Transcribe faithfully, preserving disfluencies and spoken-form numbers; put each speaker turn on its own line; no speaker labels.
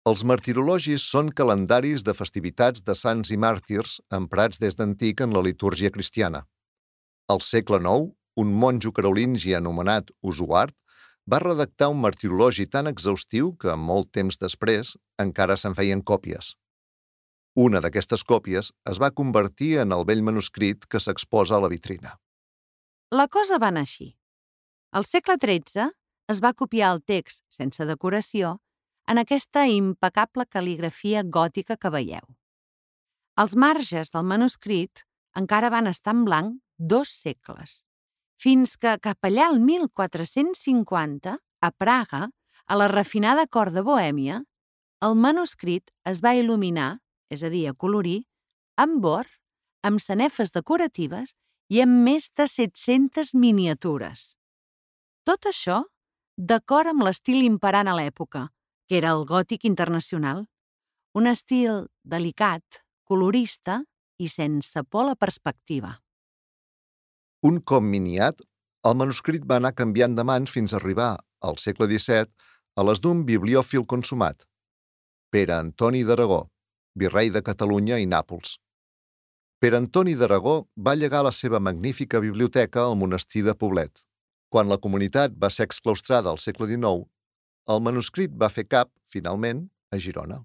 Els martirologis són calendaris de festivitats de sants i màrtirs emprats des d'antic en la litúrgia cristiana. Al segle nou, un monjo carolingi anomenat Osuard va redactar un martirologi tan exhaustiu que, molt temps després, encara se'n feien còpies. Una d'aquestes còpies es va convertir en el vell manuscrit que s'exposa a la vitrina.
La cosa va anar així. Al segle tretze es va copiar el text, sense decoració, en aquesta impecable cal·ligrafia gòtica que veieu. Els marges del manuscrit encara van estar en blanc dos segles, fins que cap allà al mil quatre-cents cinquanta, a Praga, a la refinada cort de Bohèmia, el manuscrit es va il·luminar, és a dir, acolorir, amb or, amb sanefes decoratives i amb més de set-centes miniatures. Tot això d'acord amb l'estil imperant a l'època, que era el gòtic internacional, un estil delicat, colorista i sense por a la perspectiva.
Un cop miniat, el manuscrit va anar canviant de mans fins a arribar, al segle disset, a les d'un bibliòfil consumat, Pere Antoni d'Aragó, virrei de Catalunya i Nàpols. Pere Antoni d'Aragó va llegar la seva magnífica biblioteca al monestir de Poblet. Quan la comunitat va ser exclaustrada al segle dinou, el manuscrit va fer cap, finalment, a Girona.